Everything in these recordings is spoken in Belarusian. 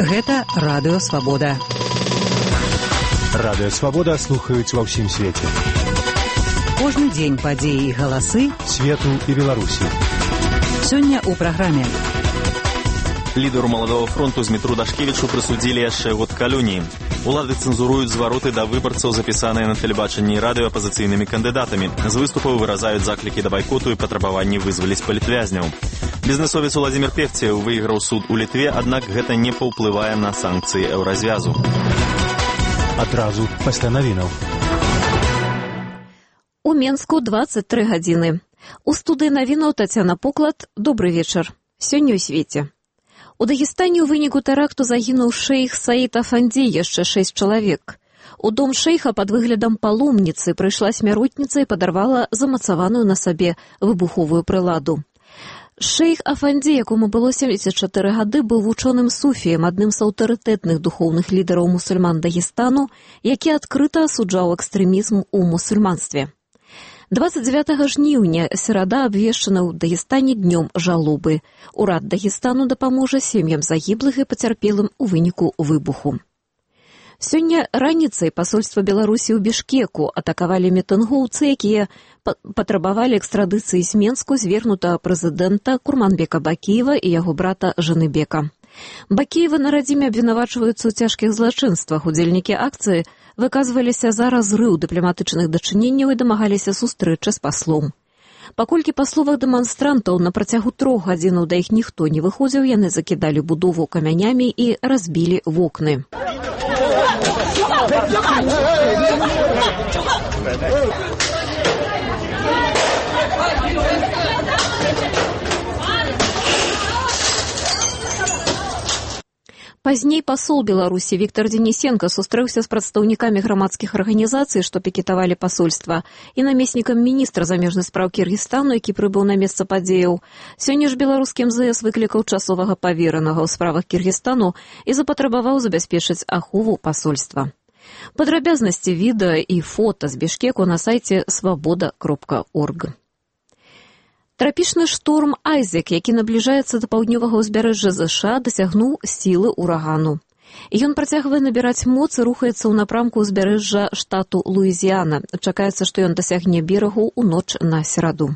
Гэта Радыё Свабода. Радыё Свабода слухаюць ва ўсім свеце. Кожны дзень падзеі і галасы свету і Беларусі. Сёння ў праграме. Лідару Маладога фронту Змітру Дашкевічу прысудзілі яшчэ год калоніі. Улады цэнзуруюць звароты да выбарцаў, запісаныя на тэлебачанні і радыё апазіцыйнымі кандыдатамі. З выступаў выразаюць заклікі да байкоту і патрабаванні вызваліць палітвязняў. Бізнесовец Уладзімір Певцеў выйграў суд у Літве, аднак гэта не паўплывае на санкцыі еўразвязу. Адразу пасля навінаў. У Менску 23 гадзіны. У студыі навінаў Тацяна Поклад. Добры вечар. Сёння ў свеце. У Дагестане ў выніку тэракту загінуў шэйх Саід Афанді, яшчэ 6 чалавек. У дом шэйха пад выглядам паломніцы прыйшла смяротніца і падарвала замацаваную на сабе выбуховую прыладу. Шэйх Афанді, якому было 74 гады, быў вучоным суфіем, адным з аўтарытэтных духоўных лідараў мусульман Дагестану, які адкрыта асуджаў экстрэмізм у мусульманстве. 29 жніўня серада абвешчана ў Дагестане днём жалобы. Урад Дагестану дапаможа сем'ям загіблых і пацярпелым у выніку выбуху. Сёння раніцай пасольства Беларусі ў Бішкеку атакавалі мітынгоўцы, якія патрабавалі экстрадыцыі з Менску звернутага прэзідэнта Курманбека Бакіева і яго брата Жаныбека. Бакіева на радзіме абвінавачваюцца ў цяжкіх злачынствах. Удзельнікі акцыі выказваліся за разрыў дыпламатычных дачыненняў і дамагаліся сустрэчы з паслом. Паколькі па словах дэманстрантаў на працягу 3 гадзінаў да іх ніхто не выходзіў, яны закідалі будову камянямі і разбілі вокны. Пазней пасол Беларусі Віктор Денісенка сустрэўся з прадстаўнікамі грамадскіх арганізацый, што пікетавалі пасольства, і намеснікам міністра замежных спраў Кіргізстану, які прыбыў на месца падзеяў. Сёння ж беларускі МЗС выклікаў часовага паверанага ў справах Кіргізстану і запатрабаваў забяспечыць ахову пасольства. Падрабязнасці відэа і фота з Бішкеку на сайце свабода.орг. Трапічны шторм Айзек, які набліжаецца да паўднёвага ўзбярэжжа ЗША, дасягнуў сілы ўрагану. Ён працягвае набіраць моц і рухаецца ў напрамку ўзбярэжжа штату Луізіяна. Чакаецца, што ён дасягне берагу ў ноч на сераду.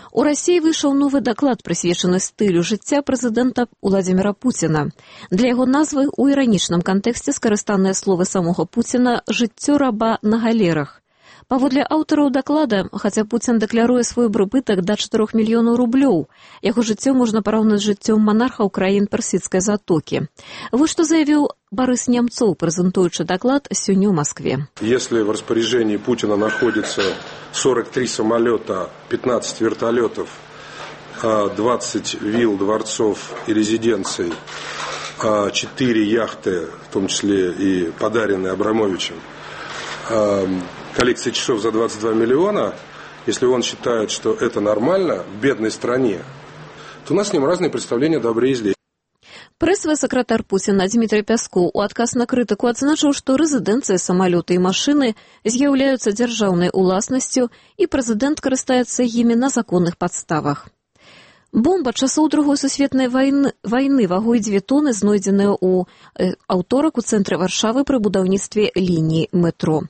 У Расіі выйшаў новы даклад, прысвечаны стылю жыцця прэзідэнта Уладзіміра Пуціна. Для яго назвы ў іранічным кантэксце скарыстаныя словы самога Пуціна «жыццё раба на галерах». Паводле аўтараў даклада, хаця Пуцін дэкляруе свой прыбытак да 4 мільёнаў рублёў, яго жыццё можна параўнаць з жыццём монархаў краін Персідскай затокі. Вось што заявіў Борис Немцов, прэзентуючы даклад сёння ў Москве. Если в распоряжении Путина находится 43 самолета, 15 вертолетов, 20 вилл, дворцов и резиденций, 4 яхты, в том числе и подаренные Абрамовичем, коллекция часов за 22 миллиона, если он считает, что это нормально в бедной стране, то у нас с ним разные представления о добре и зле. Прэсавы сакратар Пуціна Дмітрый Пяскоў у адказ на крытыку адзначыў, што рэзідэнцыі, самалёты і машыны з'яўляюцца дзяржаўнай уласнасцю і прэзідэнт карыстаецца імі на законных падставах. Бомба часоў Другой сусветнай вайны вагой 2 тоны знойдзеная ў аўторак у цэнтры Варшавы пры будаўніцтве лініі метро.